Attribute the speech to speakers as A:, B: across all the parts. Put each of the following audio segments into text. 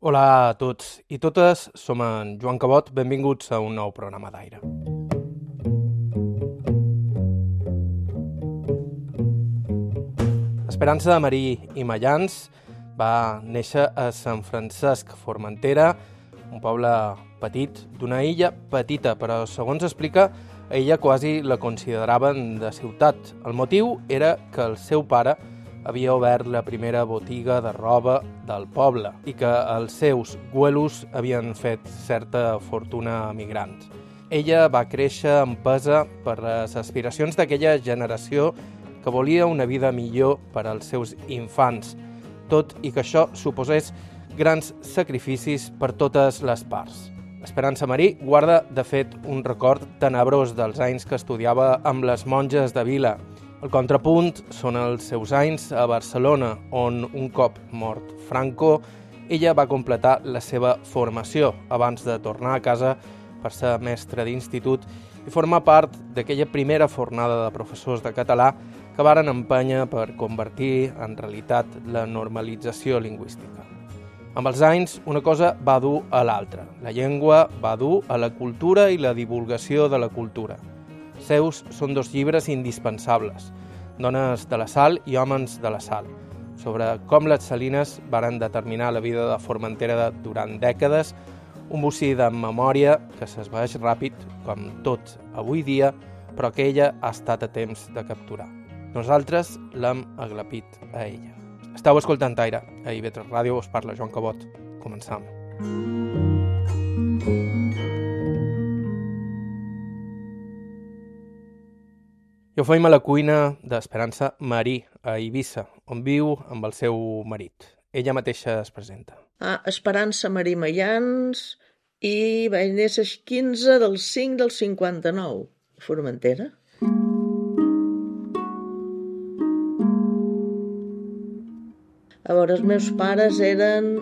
A: Hola a tots i totes, som en Joan Cabot, benvinguts a un nou programa d'aire. Esperança Marí i Mallans va néixer a Sant Francesc, Formentera, un poble petit, d'una illa petita, però segons explica, a ella quasi la consideraven de ciutat. El motiu era que el seu pare havia obert la primera botiga de roba del poble i que els seus güelos havien fet certa fortuna a migrants. Ella va créixer empesa per les aspiracions d'aquella generació que volia una vida millor per als seus infants, tot i que això suposés grans sacrificis per totes les parts. Esperança Marí guarda, de fet, un record tenebrós dels anys que estudiava amb les monges de Vila. El contrapunt són els seus anys a Barcelona, on un cop mort Franco, ella va completar la seva formació abans de tornar a casa per ser mestra d'institut i formar part d'aquella primera fornada de professors de català que varen empènyer per convertir en realitat la normalització lingüística. Amb els anys, una cosa va dur a l'altra. La llengua va dur a la cultura i la divulgació de la cultura. Seus són dos llibres indispensables, Dones de la Sal i Homes de la Sal, sobre com les salines varen determinar la vida de Formentera durant dècades, un bocí de memòria que s'esvaeix ràpid, com tot avui dia, però que ella ha estat a temps de capturar. Nosaltres l'hem aglapit a ella. Estau escoltant Aire, a IB3 Ràdio, us parla Joan Cabot. Començam. I ho feim a la cuina d'Esperança Marí, a Eivissa, on viu amb el seu marit. Ella mateixa es presenta.
B: Esperança Marí Mallans i vaig néixer el 15 del 5 del 59, a Formentera. A veure, els meus pares eren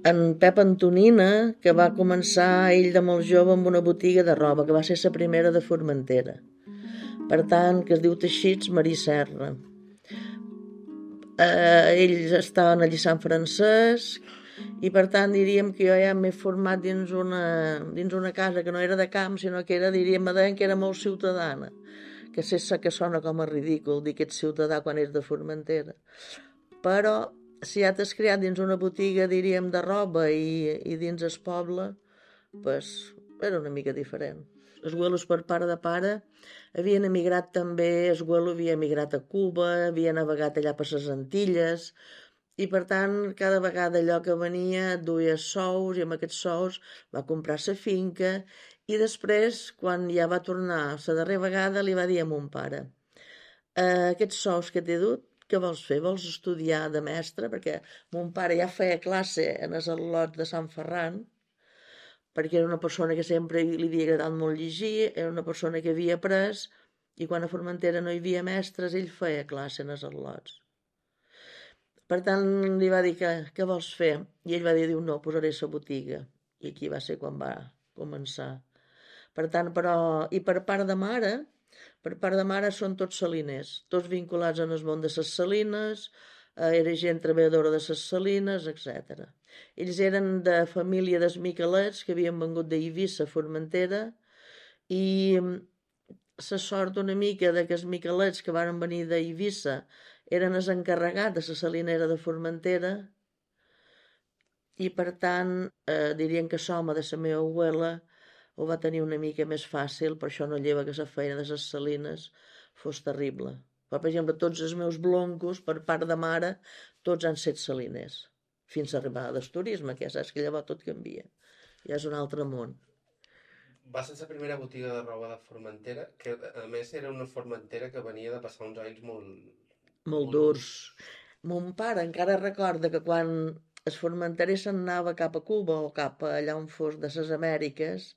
B: en Pep Antonina, que va començar ell de molt jove amb una botiga de roba, que va ser la primera de Formentera. Per tant, que es diu Teixits Marí Serra. Ells estaven allí a Sant Francesc i per tant diríem que jo ja m'he format dins una casa que no era de camp, sinó que era, diríem, que era molt ciutadana, que sé que sona com a ridícul dir que ets ciutadà quan ets de Formentera, però si ja t'has criat dins una botiga, diríem, de roba i dins el poble, pues, era una mica diferent. Els güelos per part de pare havien emigrat també, el güelo havia emigrat a Cuba, havia navegat allà per les Antilles, i per tant cada vegada allò que venia duia sous i amb aquests sous va comprar la finca i després quan ja va tornar la darrera vegada li va dir a mon pare aquests sous que t'he dut, què vols fer? Vols estudiar de mestre? Perquè mon pare ja feia classe en els al·lots de Sant Ferran, perquè era una persona que sempre li havia agradat molt llegir, era una persona que havia après, i quan a Formentera no hi havia mestres, ell feia classe en els al·lots. Per tant, li va dir què vols fer? I ell va dir, no, posaré la botiga. I aquí va ser quan va començar. Per tant, però, i per part de mare són tots saliners, tots vinculats en el món de les salines, era gent treballadora de les salines, etc. Ells eren de família dels Miquelets, que havien vengut d'Eivissa a Formentera, i la sort una mica de que els Miquelets que van venir d'Eivissa eren els encarregats de la salinera de Formentera, i per tant dirien que l'home de la meva abuela ho va tenir una mica més fàcil, per això no lleva que la feina de les salines fos terrible. Per exemple, tots els meus bloncos, per part de mare, tots han set saliners, fins a arribar al turisme, que ja saps que llavors tot canvia. Ja és un altre món.
A: Va ser la primera botiga de roba de Formentera, que a més era una Formentera que venia de passar uns anys
B: molt durs. Mon pare encara recorda que quan el formenterer se'n anava cap a Cuba o cap a allà on fos de les Amèriques,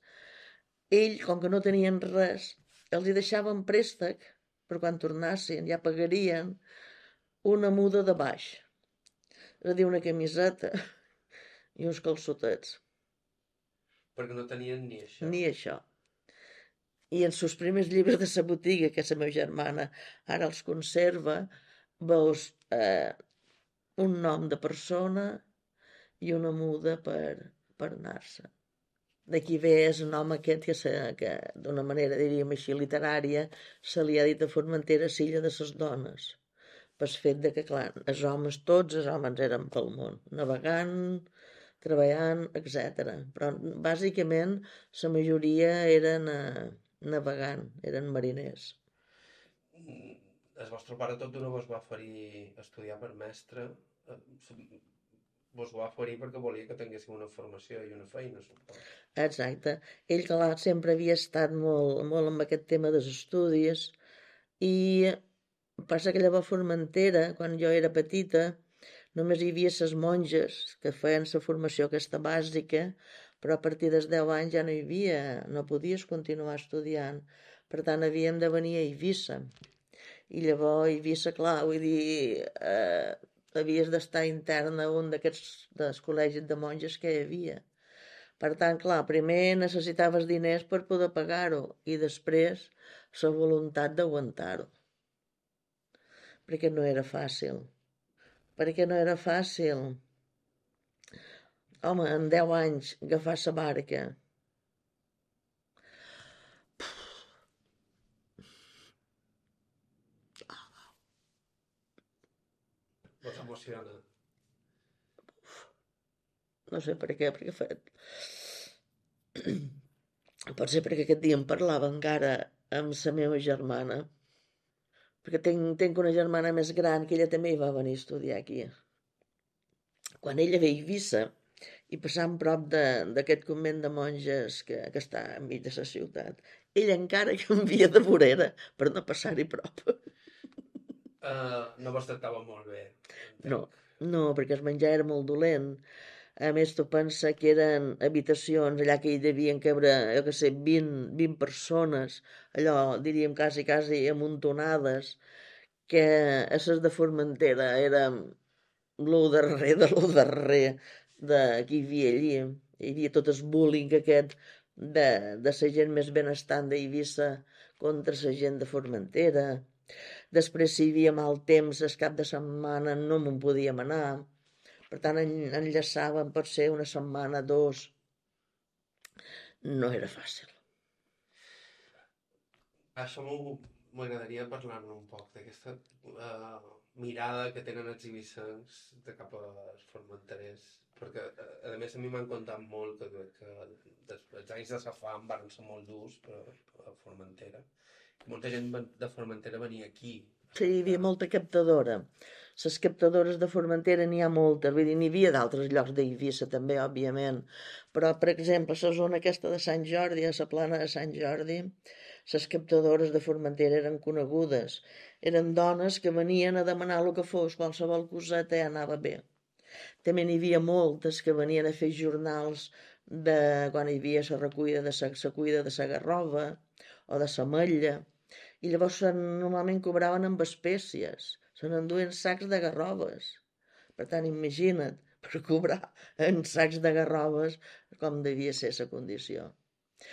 B: ell, com que no tenien res, els hi deixaven préstec per quan tornassin, ja pagarien una muda de baix, és a dir, una camiseta i uns calçotets.
A: Perquè no tenien ni això.
B: Ni això. I en els primers llibres de la botiga, que la meva germana ara els conserva, veus un nom de persona i una muda per anar-se. D'aquí ve el nom aquest que d'una manera, diríem així, literària, se li ha dit a Formentera l'illa de les dones, pel fet de que, clar, tots els homes eren pel món, navegant, treballant, etc. Però bàsicament la majoria eren navegant, eren mariners.
A: El vostre pare tot d'una vos va oferir estudiar per mestre. Vos ho va oferir perquè volia que tinguéssiu una formació i una feina, suposo.
B: Exacte. Ell, clar, sempre havia estat molt, molt amb aquest tema dels estudis i passa que llavors a Formentera, quan jo era petita, només hi havia les monges que feien la formació aquesta bàsica, però a partir dels 10 anys ja no hi havia, no podies continuar estudiant. Per tant, havíem de venir a Eivissa. I llavors a Eivissa, clar, vull dir, havies d'estar intern a un d'aquests dels col·legis de monges que hi havia. Per tant, clar, primer necessitaves diners per poder pagar-ho i després la voluntat d'aguantar-ho. Perquè no era fàcil. Perquè no era fàcil. Home, en 10 anys agafar la barca.
A: Vos emociona?
B: No sé per què, potser perquè aquest dia em parlava encara amb la meva germana, perquè tinc una germana més gran que ella també hi va venir a estudiar aquí. Quan ella ve a Eivissa i passant prop d'aquest convent de monges que està enmig de la ciutat, ella encara canvia de vorera per no passar-hi prop.
A: No vos tractava molt bé.
B: No, perquè el menjar era molt dolent. A més, tu pensa que eren habitacions allà que hi devien cabre, jo què sé, 20 persones, allò, diríem, quasi amuntonades, que a ses de Formentera era lo darrer de lo darrer que hi havia allí. Hi havia tot el bullying aquest de la gent més benestant d'Eivissa contra la gent de Formentera. Després, si hi havia mal temps, el cap de setmana no me'n podíem anar. Per tant, enllaçàvem potser una setmana, 2. No era fàcil.
A: Això m'agradaria parlar-ne un poc, d'aquesta mirada que tenen els eivissens de cap als formenterers, perquè a més a mi m'han contat molt que els anys de la fam van ser molt durs a Formentera. Molta gent de Formentera venia aquí.
B: Sí, hi havia molta captadora. Les captadores de Formentera n'hi ha moltes, vull dir, n'hi havia d'altres llocs d'Eivissa també, òbviament, però, per exemple, la zona aquesta de Sant Jordi, a la plana de Sant Jordi, les captadores de Formentera eren conegudes. Eren dones que venien a demanar el que fos, qualsevol coseta ja anava bé. També n'hi havia moltes que venien a fer jornals de quan hi havia la recuida de la garrova o de l'ametlla, i llavors normalment cobraven amb espècies, se n'enduen sacs de garroves. Per tant, imagina't, per cobrar en sacs de garroves com devia ser la condició.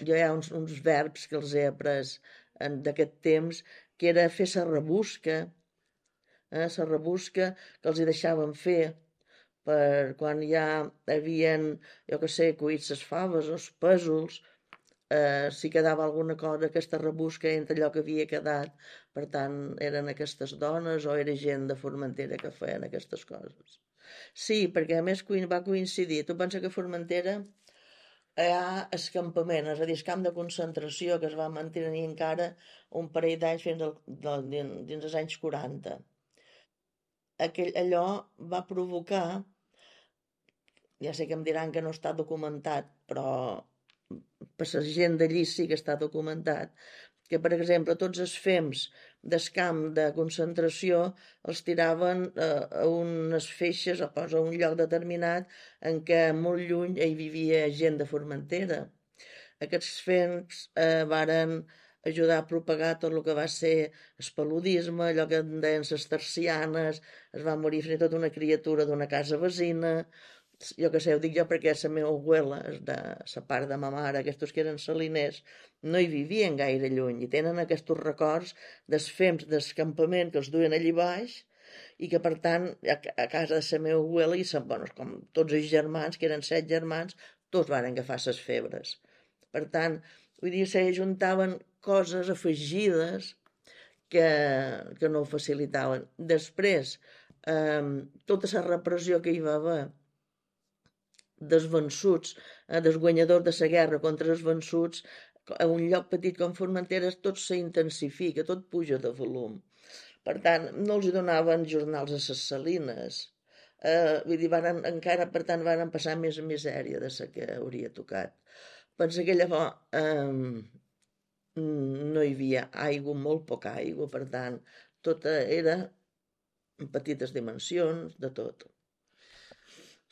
B: Jo hi ha uns verbs que els he après d'aquest temps, que era fer la rebusca, la rebusca que els hi deixaven fer per quan ja havien, jo que sé, cuit les faves o els pèsols, si quedava alguna cosa, aquesta rebusca entre allò que havia quedat. Per tant, eren aquestes dones o era gent de Formentera que feien aquestes coses. Sí, perquè a més va coincidir. Tu pensa que a Formentera hi ha el campament, és a dir, el camp de concentració que es va mantenir encara un parell d'anys fins dins els anys 40. Allò va provocar, ja sé que em diran que no està documentat, però per la gent d'allí sí que està documentat, que, per exemple, tots els fems del camp de concentració els tiraven a unes feixes o a un lloc determinat en què molt lluny hi vivia gent de Formentera. Aquests fems varen ajudar a propagar tot el que va ser el paludisme, allò que en deien les tercianes, es va morir fins i tot una criatura d'una casa veïna. Jo que sé, ho dic jo perquè la meva abuela, de la part de ma mare, aquests que eren saliners, no hi vivien gaire lluny i tenen aquests records dels fems del campament que els duien allí baix, i que per tant a casa de la meva abuela, bueno, com tots els germans, que eren 7 germans, tots van agafar les febres. Per tant, vull dir, se juntaven coses afegides que no ho facilitaven. Després, tota la repressió que hi va haver dels vençuts, dels guanyadors de la guerra contra els vençuts, a un lloc petit com Formentera tot s'intensifica, tot puja de volum. Per tant, no els donaven jornals a les salines. Vull dir, encara, per tant, van passar més misèria de la que hauria tocat. Pensa que llavors no hi havia aigua, molt poca aigua, per tant, tot era en petites dimensions, de tot.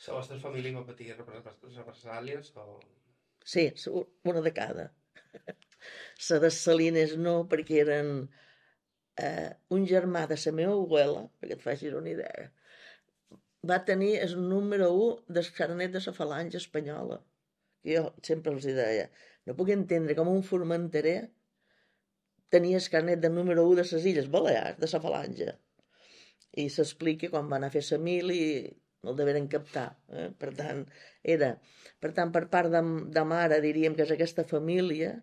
A: La vostra família va patir represàlies o...?
B: Sí, una de cada. La de Salines no, perquè eren un germà de la meva abuela, perquè et facis una idea, va tenir el número 1 del carnet de la falange espanyola. Jo sempre els deia, no puc entendre com un formenterer tenia el carnet de número 1 de les Illes Balears, de la falange. I s'explica quan va anar a fer la mil i el deveren captar. Per tant, per part de mare diríem que és aquesta família.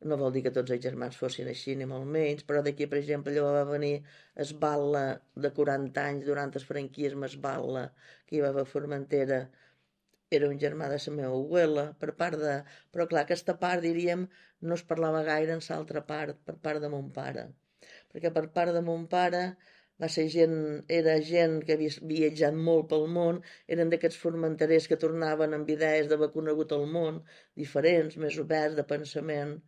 B: No vol dir que tots els germans fossin així, ni molt menys, però d'aquí, per exemple, allò va venir Esballa de 40 anys durant el franquisme, Esballa, que hi va haver a Formentera, era un germà de la meva abuela, per part de... Però clar, aquesta part, diríem, no es parlava gaire en l'altra part, per part de mon pare. Perquè per part de mon pare era gent que havia viatjat molt pel món, eren d'aquests formenterers que tornaven amb idees d'haver conegut el món, diferents, més oberts de pensament,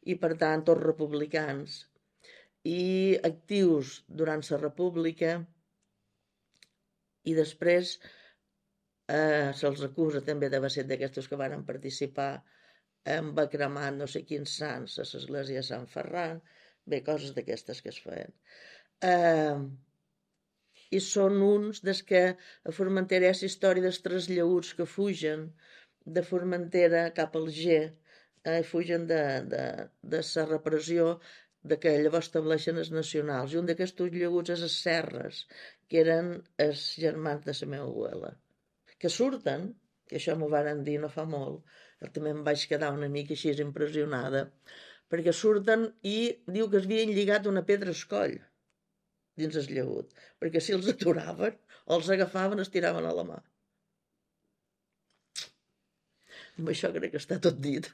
B: i per tant tots republicans, i actius durant la república, i després se'ls acusa també d'haver set d'aquestos que van participar en va cremar no sé quins sants a l'església de Sant Ferran, bé, coses d'aquestes que es feien. I són uns des que a Formentera hi ha la història dels trasllaguts que fugen de Formentera cap al G, fugen de la repressió de que llavors estableixen els nacionals, i un d'aquests llaguts és les Serres, que eren els germans de la meva abuela, que surten, que això m'ho varen dir no fa molt, també em vaig quedar una mica així impressionada, perquè surten i diu que es havien lligat una pedra al coll dins el llagut, perquè si els aturaven o els agafaven es tiraven a la mà. Amb això crec que està tot dit.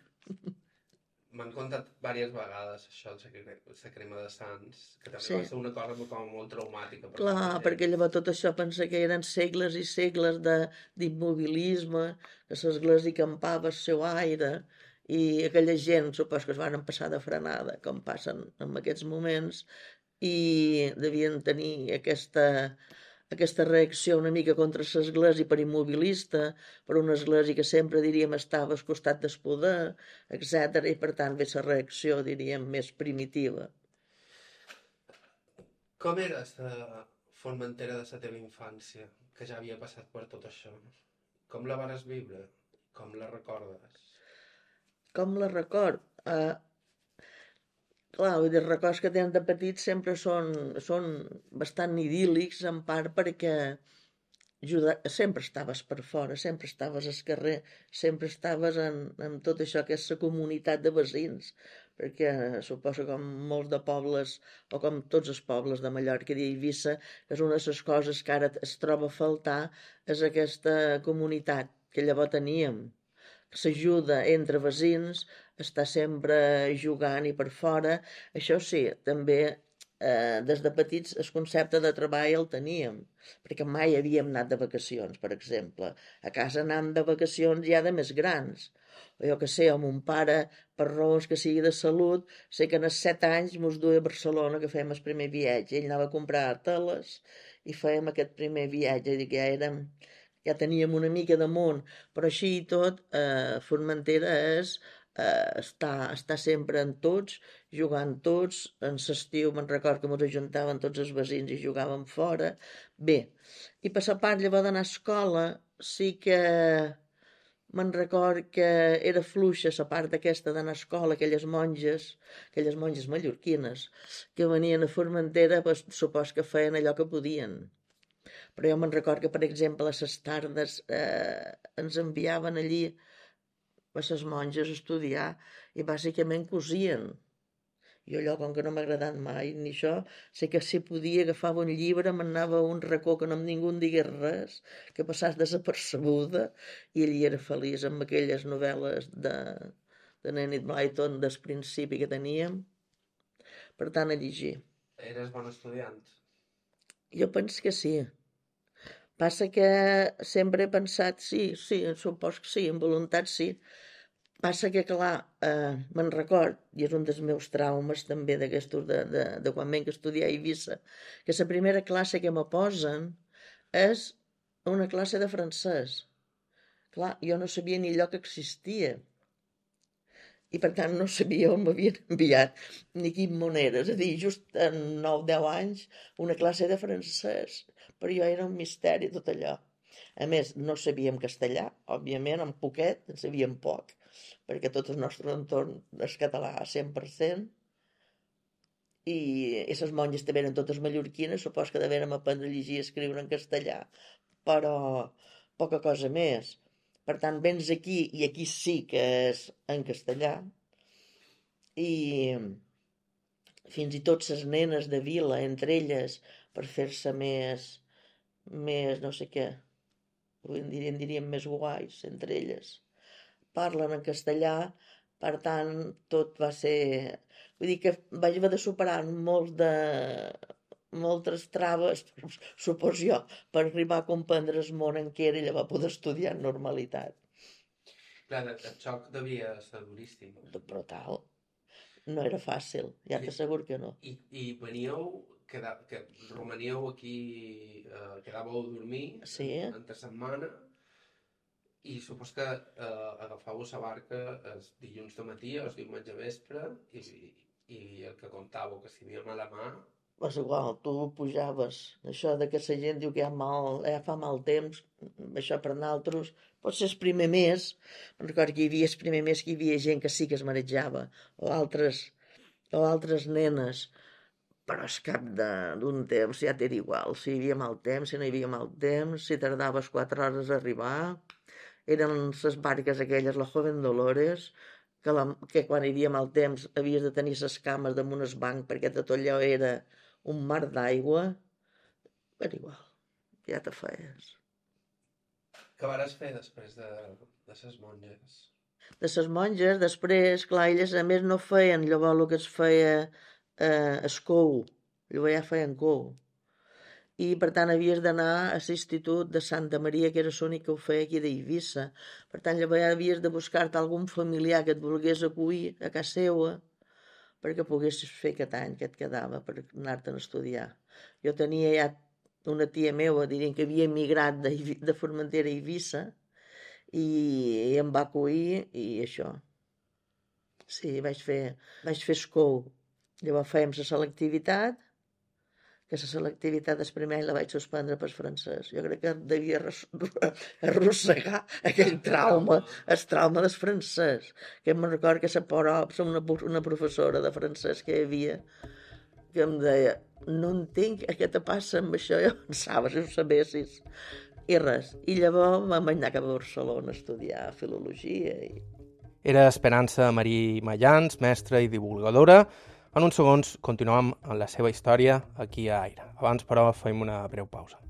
A: M'han contat diverses vegades això, la crema de sants, que també
B: Sí.
A: va ser una cosa com molt traumàtica.
B: Clar, perquè llavors tot això pensa que eren segles i segles d'immobilisme, que l'església campava el seu aire, i aquella gent supos que es van passar de frenada, com passen en aquests moments, i devien tenir aquesta reacció una mica contra l'església per immobilista, per una església que sempre, diríem, estava al costat del poder, etc. I per tant ve la reacció, diríem, més primitiva.
A: Com era la Formentera de la teva infància, que ja havia passat per tot això? Com la vares viure? Com la recordes?
B: Com la record? Clar, vull dir, els records que tenen de petits sempre són bastant idíl·lics, en part perquè sempre estaves per fora, sempre estaves al carrer, sempre estaves en tot això que és la comunitat de veïns, perquè suposo com molts de pobles, o com tots els pobles de Mallorca i d'Eivissa, que és una de les coses que ara es troba a faltar, és aquesta comunitat que llavors teníem, s'ajuda entre veïns, està sempre jugant i per fora. Això sí, també des de petits el concepte de treball el teníem, perquè mai havíem anat de vacacions, per exemple. A casa anàvem de vacacions ja de més grans. O jo que sé, o mon pare, per raons que sigui de salut, sé que en els 7 anys mos duia a Barcelona, que fèiem el primer viatge. Ell anava a comprar teles i fèiem aquest primer viatge, i que ja teníem una mica de món, però així i tot, Formentera és està sempre en tots, jugant tots, en l'estiu me'n record que ens ajuntaven tots els veïns i jugàvem fora. Bé, i per la part llavors d'anar a escola sí que Me'n record que era fluixa la part aquesta d'anar a escola, aquelles monges mallorquines, que venien a Formentera, doncs, supos que feien allò que podien. Però jo me'n record que, per exemple, a les tardes ens enviaven allí a les monges a estudiar i bàsicament cosien. Jo allò, com que no m'ha agradat mai ni això, sé que si podia agafava un llibre, m'anava a un racó que no ningú em digués res, que passàs desapercebuda, i allí era feliç amb aquelles novel·les de Enid Blyton del principi que teníem. Per tant, a llegir.
A: Eres bon estudiant?
B: Jo penso que sí. Passa que sempre he pensat, sí, supos que sí, amb voluntat sí. Passa que, clar, me'n record, i és un dels meus traumes també d'aquestos de quan venc a estudiar a Eivissa, que la primera classe que me posen és una classe de francès. Clar, jo no sabia ni allò que existia. I per tant no sabia on m'havien enviat ni quin món era. És a dir, just en 9-10 anys, una classe de francès. Per jo era un misteri tot allò. A més, no sabíem castellà, òbviament, en poquet, en sabíem poc, perquè tot el nostre entorn és català 100%, i les monges també eren totes mallorquines, supos que devérem aprendre a llegir i escriure en castellà, però poca cosa més. Per tant, vens aquí, i aquí sí que és en castellà, i fins i tot les nenes de vila, entre elles, per fer-se més, no sé què, en diríem més guais, entre elles, parlen en castellà, per tant, tot va ser... Vull dir que vaig haver de superar moltes traves, supos jo, per arribar a comprendre el món en què era i llavors poder estudiar en normalitat.
A: Clar, el xoc devia ser duríssim.
B: Brutal. No era fàcil, ja t'asseguro que no.
A: I veníeu, que romaníeu aquí, quedàveu a dormir entre setmana, i supos que agafàveu la barca el dilluns de matí o el diumenge vespre, i el que contàveu, que si havia mala mà...
B: És igual, tu pujaves. Això de que la gent diu que ja fa mal temps, això per nosaltres, pot ser el primer mes, recordo que hi havia el primer mes que hi havia gent que sí que es marejava, o altres nenes, però al cap d'un temps ja t'era igual, si hi havia mal temps, si no hi havia mal temps, si tardaves 4 hores a arribar, eren les barques aquelles, la Joven Dolores, que quan hi havia mal temps havies de tenir les cames damunt el banc perquè tot allò era un mar d'aigua. Era igual, ja te feies.
A: Què vas fer després de les monges?
B: De les monges, després, clar, elles a més no feien llavors el que es feia escou, llavors ja feien cou. I per tant havies d'anar a l'institut de Santa Maria, que era l'únic que ho feia aquí d'Eivissa. Per tant, llavors havies de buscar-te algun familiar que et volgués acollir a casa seva perquè poguessis fer aquest any que et quedava per anar-te'n a estudiar. Jo tenia ja una tia meva, diríem que havia emigrat de Formentera a Eivissa, i em va acollir i això. Sí, vaig fer escou. Llavors fèiem la selectivitat, que la selectivitat del primer any la vaig suspendre pel francès. Jo crec que devia arrossegar aquell trauma, el trauma del francès. Que em recordo que una professora de francès que hi havia, que em deia, no entenc què te passa amb això, jo pensava, si ho sabessis. I res. I llavors vam anar cap a Barcelona a estudiar filologia.
A: Era Esperança Marí Mayans, mestra i divulgadora. En uns segons continuem amb la seva història aquí a Aire. Abans, però, fem una breu pausa.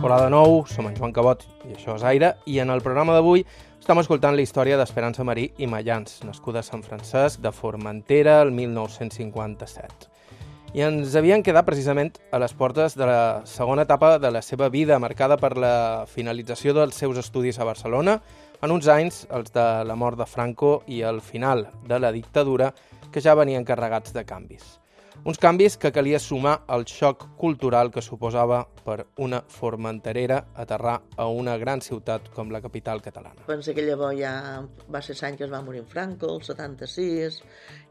A: Hola de nou, som en Joan Cabot i això és Aire, i en el programa d'avui estem escoltant la història d'Esperança Marí i Mayans, nascuda a Sant Francesc de Formentera el 1957. I ens havien quedat precisament a les portes de la segona etapa de la seva vida, marcada per la finalització dels seus estudis a Barcelona, en uns anys, els de la mort de Franco i el final de la dictadura, que ja venien carregats de canvis. Uns canvis que calia sumar al xoc cultural que suposava per una formenterera aterrar a una gran ciutat com la capital catalana.
B: Pensa que llavors ja va ser l'any que es va morir en Franco, el 76,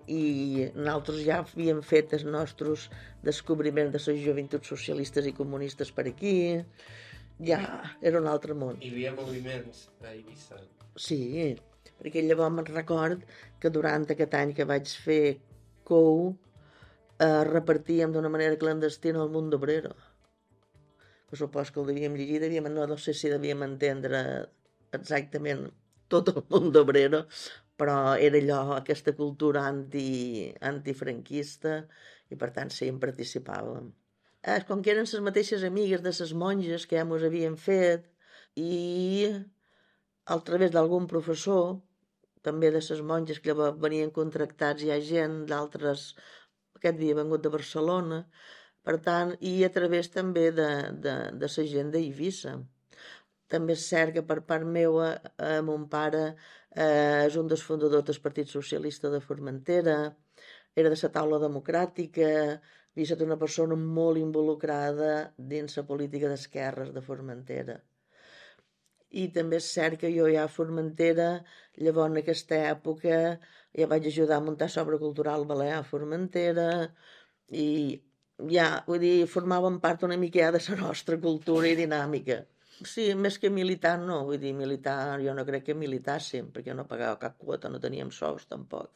B: i nosaltres ja havíem fet els nostres descobriments de les joventuts socialistes i comunistes per aquí. Ja era un altre món.
A: Hi havia moviments a Eivissa.
B: Sí, perquè llavors me'n record que durant aquest any que vaig fer COU repartíem d'una manera clandestina el Mundo Obrero. Que supos que el devíem llegir, no sé si devíem entendre exactament tot el Mundo Obrero, però era allò, aquesta cultura antifranquista, i per tant sí, en participàvem. Com que eren les mateixes amigues de les monges que ja mos havien fet, i a través d'algun professor, també de les monges que llavors venien contractats, hi ha gent d'altres, aquest havia vengut de Barcelona, per tant, i a través també de la gent d'Eivissa. També és cert que per part meva, mon pare és un dels fundadors del Partit Socialista de Formentera, era de la taula democràtica, havia estat una persona molt involucrada dins la política d'esquerres de Formentera. I també és cert que jo ja a Formentera, llavors en aquesta època, ja vaig ajudar a muntar l'obra cultural balear a Formentera, i ja, vull dir, formàvem part una mica ja de la nostra cultura i dinàmica. Sí, més que militar no, vull dir, militar, jo no crec que militàssim, perquè no pagava cap quota, no teníem sous tampoc.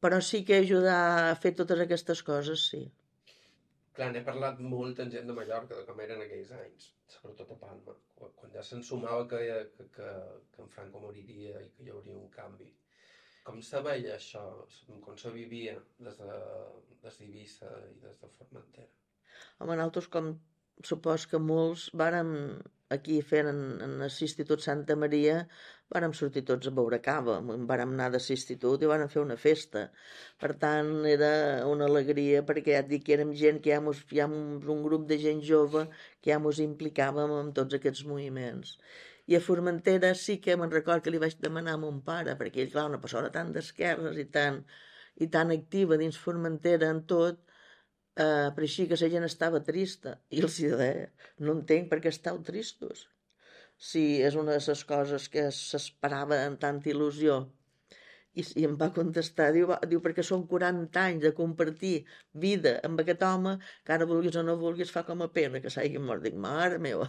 B: Però sí que ajudar a fer totes aquestes coses, sí.
A: Clar, n'he parlat molt amb gent de Mallorca, de com eren aquells anys, sobretot a Palma, quan ja s'ensumava que en Franco moriria i que hi hauria un canvi. Com se veia això? Com se vivia des d'Eivissa i des de Formentera?
B: Home, nosaltres, com supos que molts, vàrem aquí fent en l'Institut Santa Maria, vàrem sortir tots a beure cava, vàrem anar de l'institut i vàrem fer una festa. Per tant, era una alegria, perquè ja et dic que érem gent que hi ha un grup de gent jove que ja mos implicàvem en tots aquests moviments. I a Formentera sí que me'n record que li vaig demanar a mon pare, perquè ell, clar, una persona tan d'esquerres i tan activa dins Formentera en tot, però així que la gent estava trista, i els deia, no entenc per què estàu tristos. Si és una de les coses que s'esperava amb tanta il·lusió. I em va contestar, diu, perquè són 40 anys de compartir vida amb aquest home, que ara vulguis o no vulguis fa com a pena que s'hagi mort. Dic, mare meva.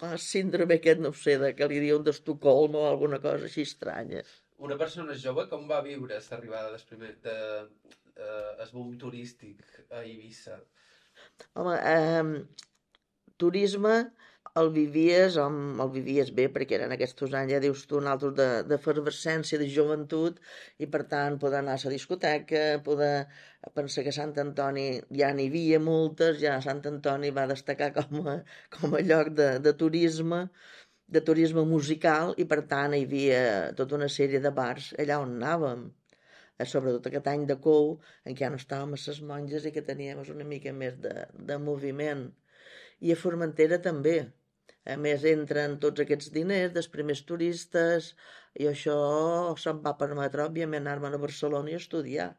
B: El síndrome aquest, no sé, que li diuen d'Estocolm o alguna cosa així estranya.
A: Una persona jove com va viure l'arribada el boom turístic a Eivissa?
B: Home, turisme el vivies bé, perquè eren aquests anys, ja dius tu, altres d'efervescència, de joventut, i per tant poder anar a la discoteca, poder pensar que Sant Antoni ja n'hi havia moltes, ja Sant Antoni va destacar com a lloc de turisme musical, i per tant hi havia tota una sèrie de bars allà on anàvem. Sobretot aquest any de COU, en què ja no estàvem a les monges i que teníem una mica més de moviment. I a Formentera també. A més, entren tots aquests diners dels primers turistes, i això se'm va permetre, òbviament, anar-me'n a Barcelona i estudiar.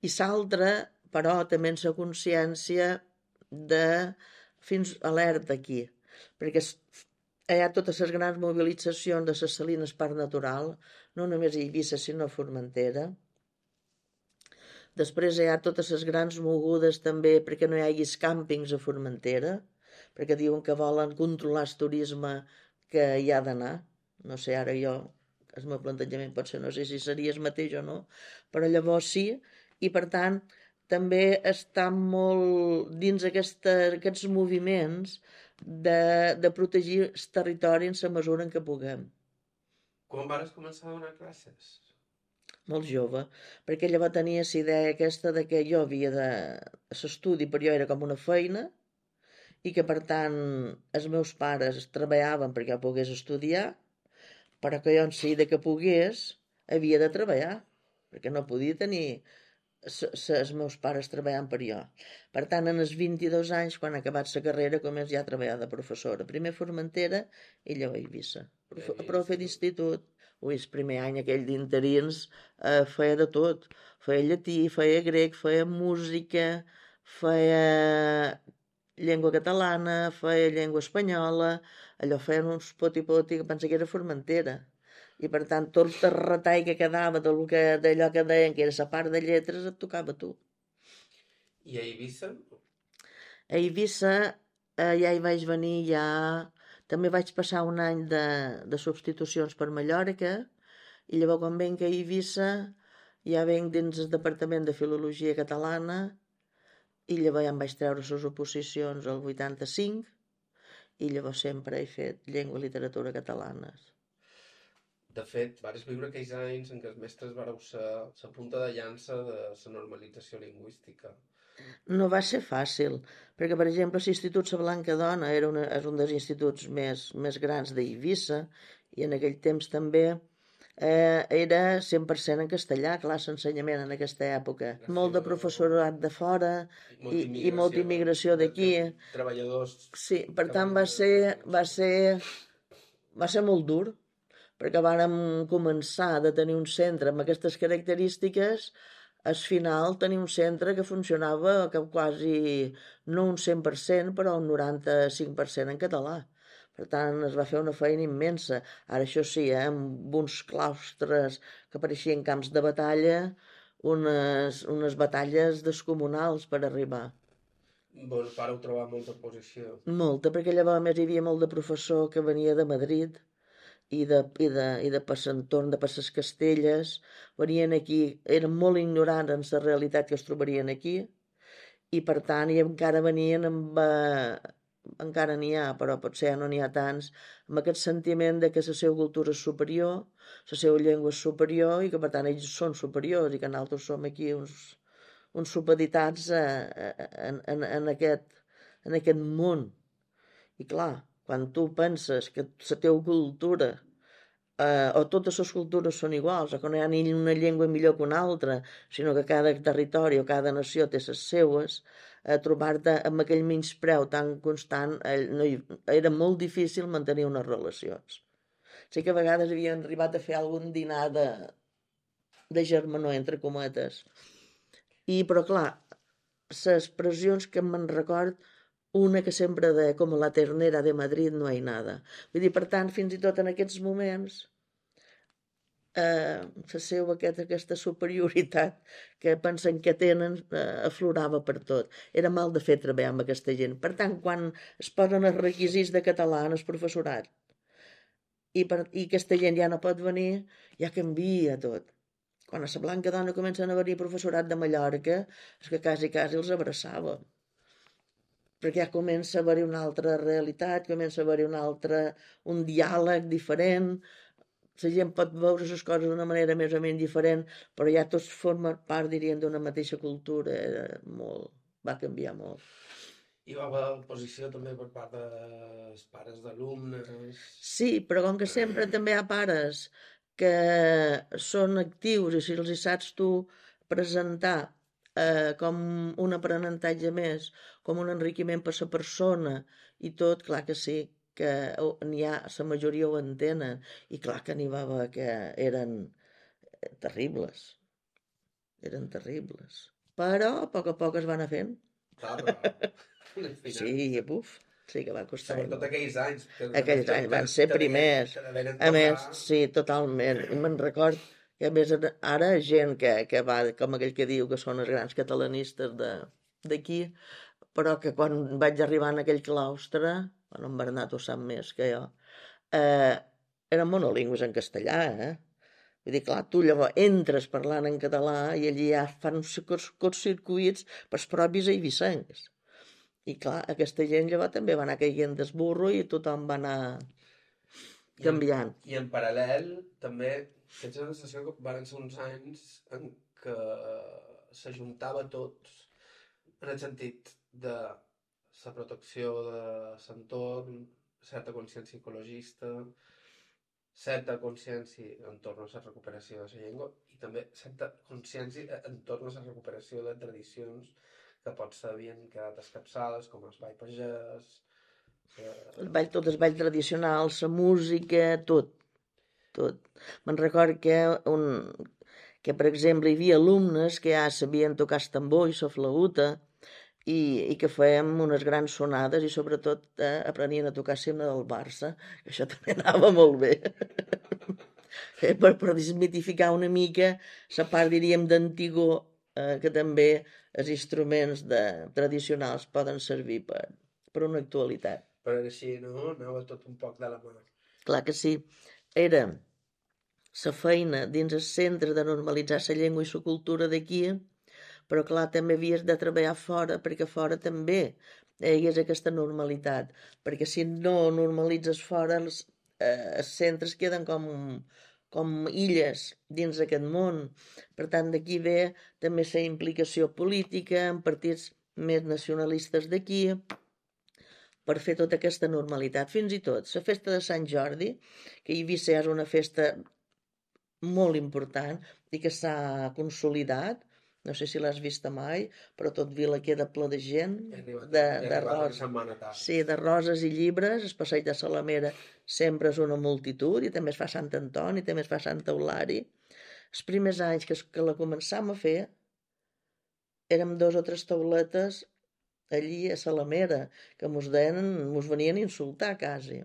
B: I l'altre, però, també en la consciència de fins alerta aquí, perquè hi ha totes les grans mobilitzacions de les Salines Parc Natural, no només a Eivissa, sinó a Formentera. Després hi ha totes les grans mogudes també perquè no hi haguis càmpings a Formentera, perquè diuen que volen controlar el turisme que hi ha d'anar. No sé, ara jo, el meu plantejament pot ser, no sé si seria el mateix o no, però llavors sí, i per tant també està molt dins aquests moviments de protegir el territori en la mesura en què puguem.
A: Quan vas començar a donar classes?
B: Molt jove, perquè llavors tenia la idea aquesta de que jo havia de... L'estudi per jo era com una feina, i que per tant els meus pares treballaven perquè jo pogués estudiar, però que jo en si de que pogués havia de treballar, perquè no podia tenir els meus pares treballant per jo. Per tant, en els 22 anys, quan he acabat la carrera, començo ja a treballar de professora. Primer a Formentera i llavors a Eivissa. Profe d'institut. Ui, el primer any aquell d'interins feia de tot. Feia llatí, feia grec, feia música, feia llengua catalana, feia llengua espanyola, allò feien uns poti-poti que pensa que era Formentera. I per tant tot el retall que quedava d'allò que deien que era la part de lletres et tocava a tu.
A: I a Eivissa?
B: A Eivissa ja hi vaig venir, ja també vaig passar un any de substitucions per Mallorca i llavors quan venc a Eivissa ja venc dins el Departament de Filologia Catalana i llavors ja em vaig treure les oposicions al 85 i llavors sempre he fet llengua i literatura catalanes.
A: De fet, vares viure aquells anys en què els mestres vareu ser la punta de llança de la normalització lingüística.
B: No va ser fàcil, perquè, per exemple, l'Institut La Blanca Dona és un dels instituts més grans d'Eivissa i en aquell temps també era 100% en castellà, clar, l'ensenyament en aquesta època. Molt de professorat de fora i molta immigració d'aquí.
A: Treballadors.
B: Sí, per tant va ser molt dur, perquè vàrem començar de tenir un centre amb aquestes característiques, al final tenir un centre que funcionava quasi, no un 100%, però un 95% en català. Per tant, es va fer una feina immensa. Ara, això sí, amb uns claustres que pareixien camps de batalla, unes batalles descomunals per arribar.
A: Vos vareu trobar molta oposició.
B: Molta, perquè llavors a més hi havia molt de professor que venia de Madrid i de per l'entorn de per les Castelles, venien aquí, eren molt ignorants en la realitat que es trobarien aquí i per tant i encara venien amb encara n'hi ha, però potser ja no n'hi ha tants, amb aquest sentiment de que la seva cultura és superior, la seva llengua és superior i que per tant ells són superiors i que nosaltres som aquí uns supeditats en aquest món. I clar, quan tu penses que la teva cultura o totes les cultures són iguals, o que no hi ha ni una llengua millor que una altra, sinó que cada territori o cada nació té les seues, trobar-te amb aquell menyspreu tan constant era molt difícil mantenir unes relacions. Sí que a vegades havien arribat a fer algun dinar de germanor, entre cometes. Però clar, les pressions que me'n record, una que sempre deia, com la ternera de Madrid no hi nada. Vull dir, per tant, fins i tot en aquests moments, la seva aquesta superioritat que pensen que tenen aflorava per tot. Era mal de fer treballar amb aquesta gent. Per tant, quan es posen els requisits de català en el professorat i aquesta gent ja no pot venir, ja canvia tot. Quan a la Blanca Dona comencen a venir professorat de Mallorca, és que quasi els abraçava. Perquè ja comença a haver-hi una altra realitat, comença a haver-hi un diàleg diferent, la gent pot veure les coses d'una manera més o menys diferent, però ja tots formen part, diríem, d'una mateixa cultura. Va canviar molt.
A: Hi va haver oposició també per part dels pares d'alumnes?
B: Sí, però com que sempre també hi ha pares que són actius i si els hi saps tu presentar com un aprenentatge més, com un enriquiment per la persona i tot, clar que sí, que n'hi ha, la majoria ho entenen, i clar que n'hi va haver que eren terribles. Eren terribles. Però a poc es va anar fent.
A: Clar, però...
B: Sí, buf. Sí que va costar.
A: Sobretot aquells anys.
B: Aquells anys van ser primers. A més, sí, totalment. I me'n record que a més ara gent que va, com aquell que diu que són els grans catalanistes d'aquí, però que quan vaig arribar en aquell claustre, bueno, en Bernat ho sap més que jo, eren monolingües en castellà, Vull dir, clar, tu llavors entres parlant en català i allí ja fan uns curtcircuits pels propis eivissencs. I clar, aquesta gent llavors també va anar caient del burro i tothom va anar canviant.
A: I en paral·lel també tens la sensació que van ser uns anys en què s'ajuntava tot en el sentit de la protecció de l'entorn, certa consciència ecologista, certa consciència entorn a la recuperació de la llengua i també certa consciència entorn a la recuperació de tradicions que potser havien quedat escapçades, com el ball pagès...
B: Tot el ball tradicional, la música, tot. Me'n record que, per exemple, hi havia alumnes que ja sabien tocar el tambor i la flauta i que fèiem unes grans sonades i sobretot aprenien a tocar l'himne del Barça, que això també anava molt bé. per desmitificar una mica la part, diríem, d'antigó, que també els instruments tradicionals poden servir per una actualitat.
A: Però així, no? Anava tot un poc de la mà.
B: Clar que sí. Era la feina dins el centre de normalitzar la llengua i la cultura d'aquí, però clar, també havies de treballar fora, perquè fora també hi és aquesta normalitat, perquè si no normalitzes fora, els centres queden com illes dins d'aquest món. Per tant, d'aquí ve també la implicació política en partits més nacionalistes d'aquí, per fer tota aquesta normalitat. Fins i tot la festa de Sant Jordi, que a Eivissa és una festa molt important i que s'ha consolidat, no sé si l'has vista mai, però tot Vila queda ple de gent, de roses. Sí, de roses i llibres. El passeig de Salamera sempre és una multitud, i també es fa Sant Antoni, i també es fa Sant Eulari. Els primers anys que la començàvem a fer, érem 2 o 3 tauletes allí a Salamera, que mos venien a insultar quasi.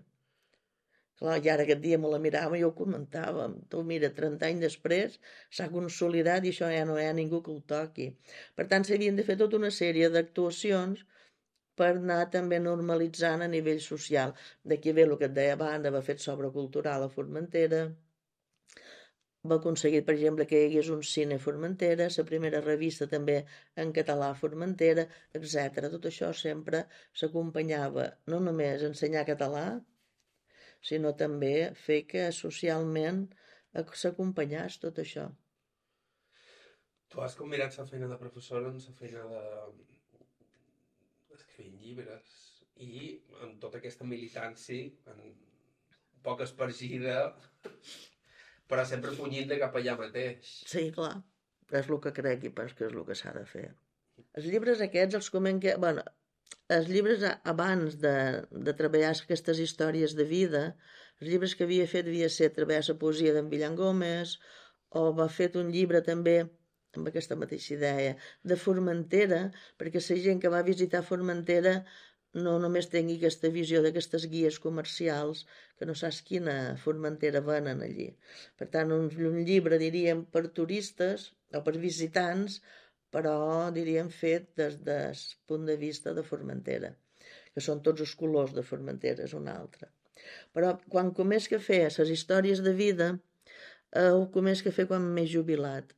B: Clar, i ara aquest dia me la mirava i ho comentàvem. Tu mira, 30 anys després s'ha consolidat i això ja no hi ha ningú que ho toqui. Per tant, s'havien de fer tota una sèrie d'actuacions per anar també normalitzant a nivell social. D'aquí ve el que et deia abans, va fet sobre cultural a Formentera, va aconseguir, per exemple, que hi hagués un cine a Formentera, la primera revista també en català a Formentera, etc. Tot això sempre s'acompanyava no només a ensenyar català, sinó també fer que socialment s'acompanyés tot això.
A: Tu has combinat la feina de professora amb la feina d'escrivint llibres i amb tota aquesta militància poc espargida, però sempre punyint de cap allà mateix.
B: Sí, clar, és el que crec i pas que és el que s'ha de fer. Els llibres aquests els començo... Bueno, els llibres abans de treballar aquestes històries de vida, els llibres que havia fet devia ser treballar la poesia d'en Villan Gómez, o va fet un llibre també amb aquesta mateixa idea de Formentera, perquè la gent que va visitar Formentera no només tingui aquesta visió d'aquestes guies comercials que no saps quina Formentera venen allí. Per tant, un llibre, diríem, per turistes o per visitants, però, diríem, fet des del punt de vista de Formentera, que són tots els colors de Formentera, és un altre. Però quan començo a fer les històries de vida, ho començo a fer quan m'he jubilat,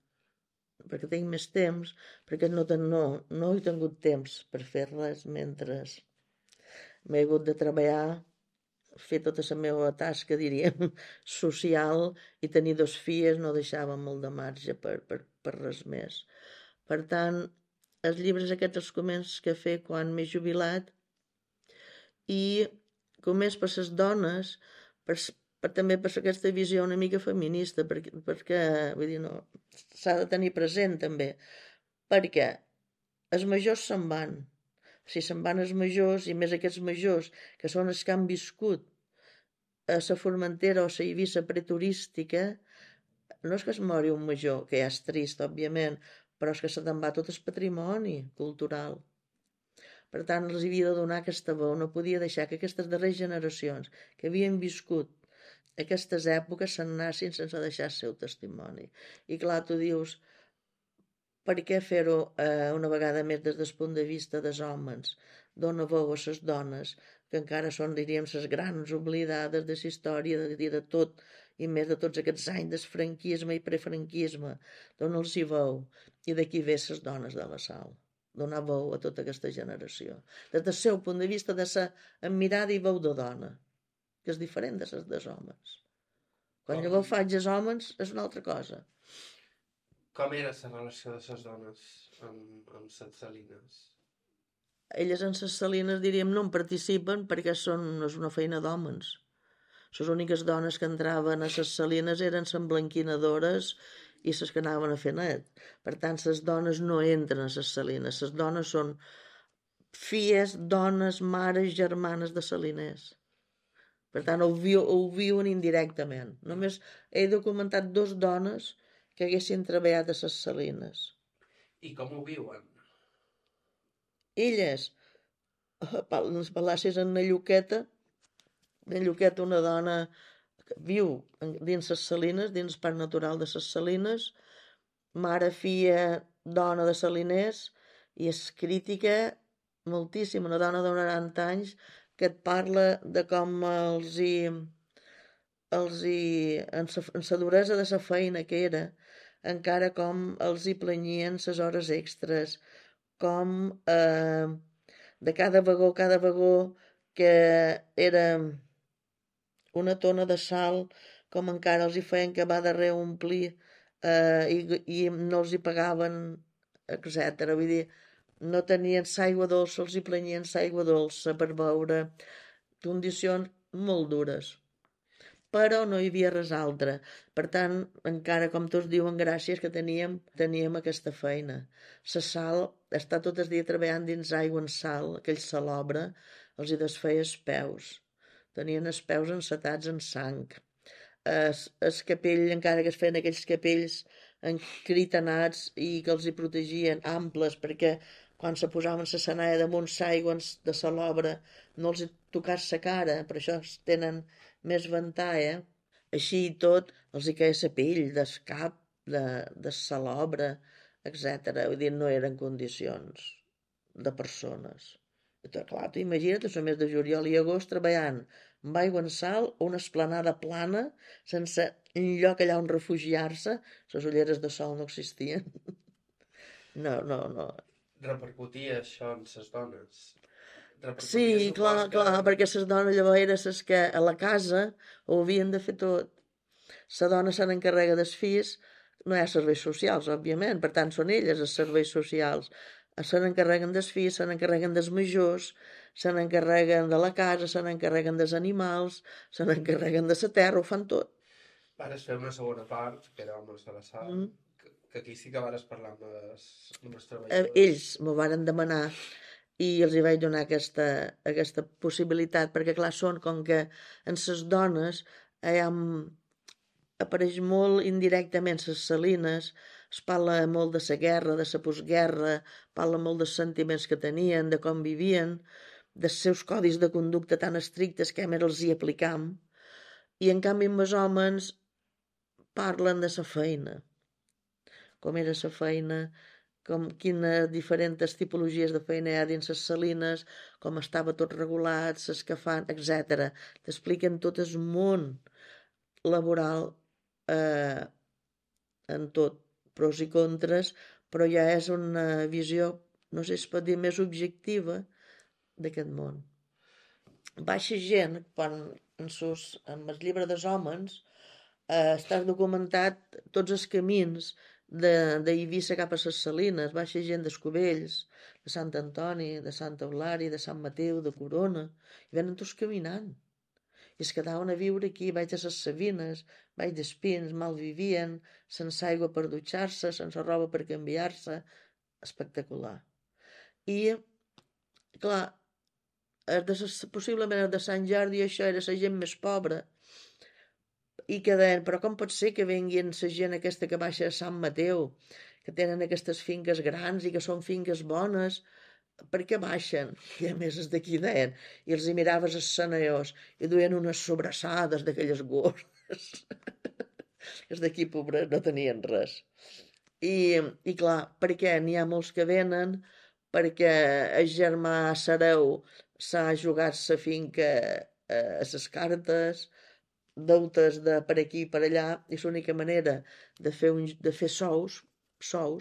B: perquè tinc més temps, perquè no he tingut temps per fer res mentre m'he hagut de treballar, fer tota la meva tasca, diríem, social, i tenir 2 filles no deixava molt de marge per res més. Per tant, els llibres aquests els començo a fer quan m'he jubilat i començo per les dones, també per aquesta visió una mica feminista, perquè vull dir, no, s'ha de tenir present també, perquè els majors se'n van. Si se'n van els majors, i més aquests majors, que són els que han viscut a la Formentera o la Eivissa preturística, no és que es mori un major, que ja és trist, òbviament, però és que se te'n va tot el patrimoni cultural. Per tant, els havia de donar aquesta veu, no podia deixar que aquestes darreres generacions que havien viscut aquestes èpoques se'n anessin sense deixar el seu testimoni. I clar, tu dius, per què fer-ho una vegada més des del punt de vista dels homes? Dona veu a les dones, que encara són, diríem, les grans oblidades de la història, de tot, i més de tots aquests anys del franquisme i prefranquisme. Dona-los-hi veu. I d'aquí ve les dones de la sal. Donar veu a tota aquesta generació. Des del seu punt de vista de ser amb mirada i veu de dona, que és diferent de les dels homes. Quan llavors faig els homes és una altra cosa.
A: Com era la relació de les dones amb les salines?
B: Elles en les salines, diríem, no en participen perquè és una feina d'homes. Les úniques dones que entraven a les salines eren les emblanquinadores i les que anaven a fer net. Per tant, les dones no entren a les salines. Les dones són filles, dones, mares, germanes de saliners. Per tant, ho viuen indirectament. Només he documentat 2 dones que haguessin treballat a les salines.
A: I com ho viuen?
B: Elles, les Palàcies en Lluqueta, una dona que viu dins les salines, dins el parc natural de les salines, mare, filla, dona de saliners, i és crítica moltíssim, una dona de 90 anys que et parla de com en la duresa de la feina que era, encara com els hi planyien les hores extres, com de cada vagó que era una tona de sal, com encara els hi feien que va darrere omplir i no els hi pagaven, etc. Vull dir, no tenien l'aigua dolça, els hi planyien l'aigua dolça per beure, condicions molt dures. Però no hi havia res altre. Per tant, encara, com tots diuen, gràcies que teníem aquesta feina. La sal, estar tot el dia treballant dins aigua en sal, aquell salobre, els hi desfeia els peus. Tenien els peus encetats en sang. El capell, encara que es feien aquells capells encritanats i que els hi protegien, amples, perquè quan se posaven la senaia damunt l'aigua de salobre no els hi tocàs la cara, per això tenen més ventall, Així i tot, els hi caia la pell del cap, de salobre, etc. Vull dir, no eren condicions de persones. Clar, tu imagina't el mes de juliol i agost treballant amb aigua en sal o una esplanada plana sense lloc allà on refugiar-se. Les ulleres de sol no existien. No.
A: Repercutia això en les dones?
B: Sí, clar, perquè les dones llavors eren les que a la casa ho havien de fer tot. La dona se n'encarrega dels fills, no hi ha serveis socials, òbviament, per tant són elles els serveis socials. Se n'encarreguen dels fills, se n'encarreguen dels majors, se n'encarreguen de la casa, se n'encarreguen dels animals, se n'encarreguen de la terra, ho fan tot.
A: Vares fer una segona part, que era homes de la sal, que aquí sí que vares parlar amb els treballadors.
B: Ells m'ho varen demanar i els hi vaig donar aquesta possibilitat, perquè clar, són com que en les dones apareix molt indirectament les salines, es parla molt de la guerra, de la postguerra, parla molt dels sentiments que tenien, de com vivien, dels seus codis de conducta tan estrictes que més els hi aplicam, i en canvi amb els homes parlen de la feina, com era la feina, quines diferents tipologies de feina hi ha dins les salines, com estava tot regulat, les que fan, etc. T'expliquen tot el món laboral en tot, pros i contres, però ja és una visió, no sé si es pot dir, més objectiva d'aquest món. Baixa gent, quan en el llibre dels homes està documentat tots els camins d'Eivissa cap a les Salines, baixa gent d'Escovells, de Sant Antoni, de Santa Eulària, de Sant Mateu, de Corona, i venen tots caminant. I es quedaven a viure aquí, baix de les Savines, baix d'Espins, mal vivien, sense aigua per dutxar-se, sense roba per canviar-se, espectacular. I, clar, possiblement de Sant Jordi això era la gent més pobra, i que deien, però com pot ser que venguin la gent aquesta que baixa a Sant Mateu, que tenen aquestes finques grans i que són finques bones, per què baixen? I a més els d'aquí deien, i els hi miraves els senadors i duien unes sobrassades d'aquelles gordes. Els d'aquí pobres no tenien res. I clar, per què? N'hi ha molts que venen perquè el germà Sareu s'ha jugat la finca a les cartes, deutes de per aquí i per allà, i l'única manera de fer sous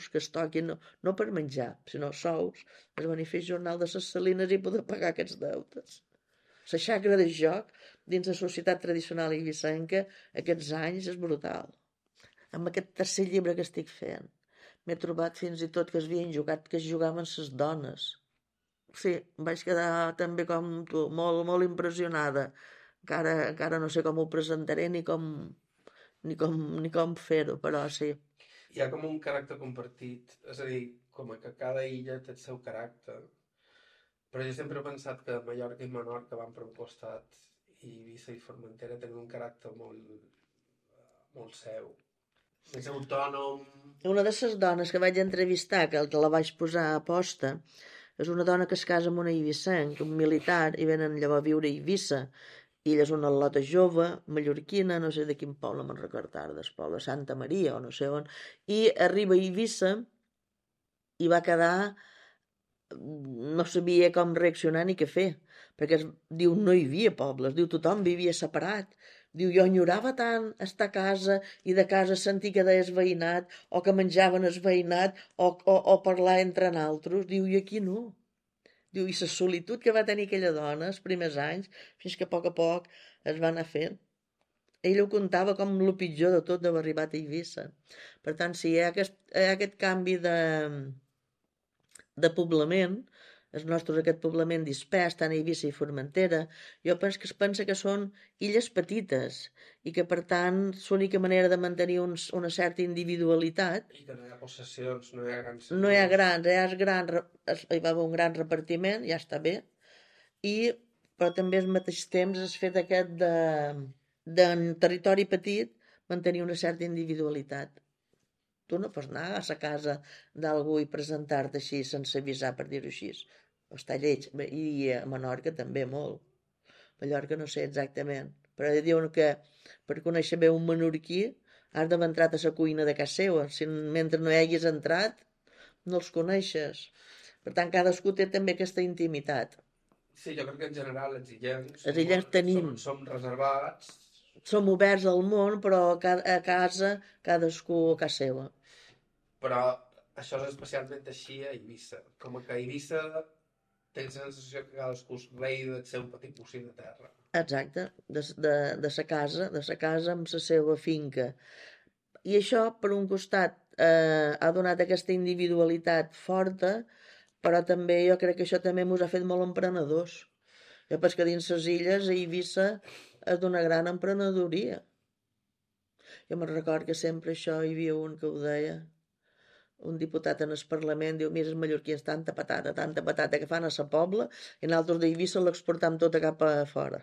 B: que es toquin, no per menjar, sinó sous, es benefici jornal de les salines i poder pagar aquests deutes. La xacra de joc dins la societat tradicional eivissenca aquests anys és brutal. Amb aquest tercer llibre que estic fent m'he trobat fins i tot que es jugaven les dones. Sí, em vaig quedar també com tu, molt, molt impressionada Encara no sé com ho presentaré ni com fer-ho, però sí.
A: Hi ha com un caràcter compartit, és a dir, com que cada illa té el seu caràcter, però jo sempre he pensat que Mallorca i Menorca van per un costat i Eivissa i Formentera tenen un caràcter molt seu. Més autònom.
B: Una de les dones que vaig entrevistar, que la vaig posar a posta, és una dona que es casa amb un eibissenc, un militar, i venen llavors a viure a Eivissa. I ella és una lota jove, mallorquina, no sé de quin poble, me'n recordo ara, del poble, Santa Maria o no sé on, i arriba a Eivissa i va quedar, no sabia com reaccionar ni què fer, perquè diu no hi havia pobles, diu tothom vivia separat, diu jo enyorava tant estar a casa i de casa sentir que deies veïnat o que menjaven el veïnat o parlar entre naltros, diu i aquí no. Diu, i la solitud que va tenir aquella dona els primers anys, fins que a poc es va anar fent. Ell ho contava com el pitjor de tot d'haver arribat a Eivissa. Per tant, si hi ha aquest canvi de poblament, el nostre aquest poblament dispers, tant a Eivissa i Formentera, jo penso que es pensa que són illes petites i que, per tant, l'única manera de mantenir una certa individualitat.
A: I que no hi ha possessions, no hi ha grans
B: senyors. No hi ha grans, hi va haver un gran repartiment, ja està bé, però també al mateix temps es fet aquest de territori petit mantenir una certa individualitat. Tu no pots anar a la casa d'algú i presentar-te així sense avisar, per dir-ho així. Està lleig. I a Menorca també molt. A Mallorca no sé exactament. Però diuen que per conèixer bé un menorquí has d'haver entrat a la cuina de casa seva. Si mentre no hi hagis entrat, no els coneixes. Per tant, cadascú té també aquesta intimitat.
A: Sí, jo crec que en general els
B: illencs tenim...
A: Som reservats.
B: Som oberts al món, però a casa cadascú a casa seva.
A: Però això és especialment així a Eivissa. Com que a Eivissa tens la sensació que cadascú és rei del seu petit bocí de terra.
B: Exacte, de sa casa amb la seva finca. I això, per un costat, ha donat aquesta individualitat forta, però també jo crec que això també ens ha fet molt emprenedors. Jo penso que dins les illes a Eivissa és d'una gran emprenedoria. Jo me'n recordo que sempre això hi havia un que ho deia, un diputat en el Parlament, diu, mira, els mallorquins, tanta patata que fan a sa pobla, i nosaltres d'Eivissa l'exportam tota cap a fora.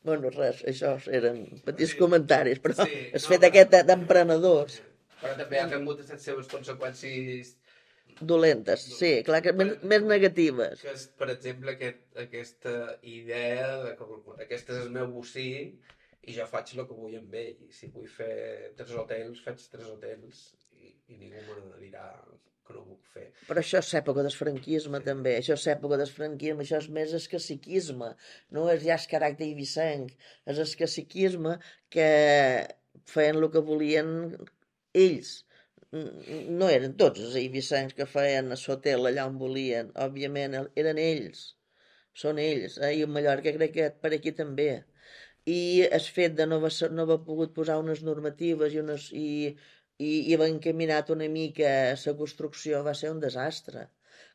B: Bueno, res, això eren petits comentaris, però és fet aquest d'emprenedors.
A: Però també han tingut les seves conseqüències
B: dolentes, sí, clar que més negatives.
A: Que és, per exemple, aquesta idea de que aquest és el meu bocí i jo faig el que vull amb ell. I si vull fer 3 hotels, faig 3 hotels i ningú me dirà que no ho puc fer.
B: Però això és època del franquisme, sí. També. Això és època del franquisme, això és més el caciquisme, no és ja el caràcter eivissenc, és el caciquisme que feien el que volien ells. No eren tots els eivissencs que feien l'hotel allà on volien, òbviament, eren ells, són ells, i a Mallorca crec que per aquí també. I el fet de no haver pogut posar unes normatives i haver encaminat una mica la construcció va ser un desastre.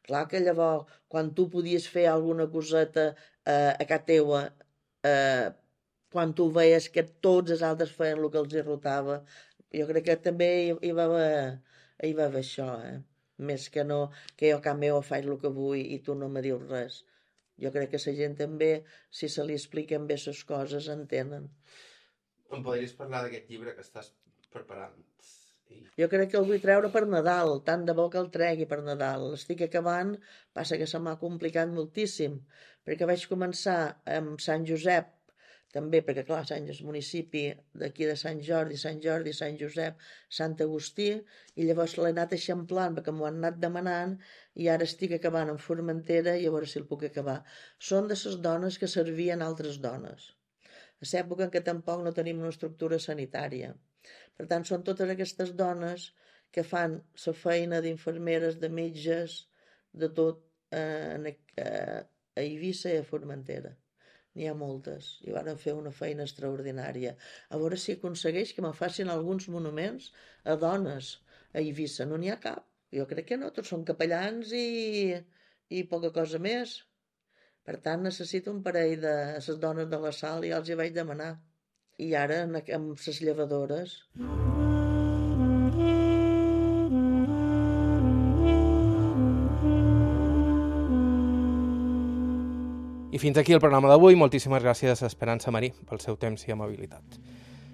B: Clar que llavors, quan tu podies fer alguna coseta a casa teua, quan tu veies que tots els altres feien el que els irrotava, jo crec que també hi va haver això, més que no, que jo a casa meva faig el que vull i tu no me dius res. Jo crec que la gent també, si se li expliquen bé les coses, entenen.
A: Em podries parlar d'aquest llibre que estàs preparant?
B: Jo crec que el vull treure per Nadal, tant de bo que el tregui per Nadal. L'estic acabant, passa que se m'ha complicat moltíssim, perquè vaig començar amb Sant Josep, també, perquè clar, Sant és municipi d'aquí de Sant Jordi, Sant Josep, Sant Agustí, i llavors l'he anat eixamplant perquè m'ho han anat demanant i ara estic acabant en Formentera i a veure si el puc acabar. Són de les dones que servien altres dones. A l'època en què tampoc no tenim una estructura sanitària. Per tant, són totes aquestes dones que fan la feina d'infermeres, de metges, de tot a Eivissa i a Formentera. N'hi ha moltes, i van fer una feina extraordinària. A veure si aconsegueix que me facin alguns monuments a dones a Eivissa. No n'hi ha cap. Jo crec que no, tots són capellans i poca cosa més. Per tant, necessito un parell de les dones de la sal i els hi vaig demanar. I ara amb les llevadores.
A: I fins aquí el programa d'avui. Moltíssimes gràcies a Esperança Marí pel seu temps i amabilitat.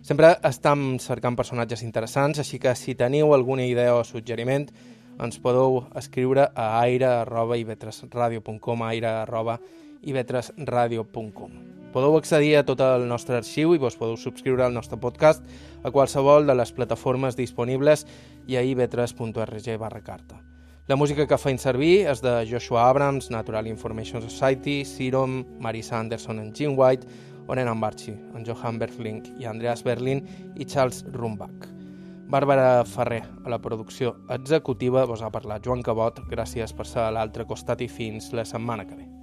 A: Sempre estem cercant personatges interessants, així que si teniu alguna idea o suggeriment, ens podeu escriure a aire@ivetresradio.com, aire@ivetresradio.com. Podeu accedir a tot el nostre arxiu i vos podeu subscriure al nostre podcast a qualsevol de les plataformes disponibles i a ivetres.org/carta. La música que feim servir és de Joshua Abrams, Natural Information Society, Serum, Marisa Anderson en Gene White, Oren Ambarchi, en Johan Berfling i Andreas Berlin i Charles Rumbach. Bàrbara Ferrer, a la producció executiva, vos ha parlat Joan Cabot. Gràcies per ser a l'altre costat i fins la setmana que ve.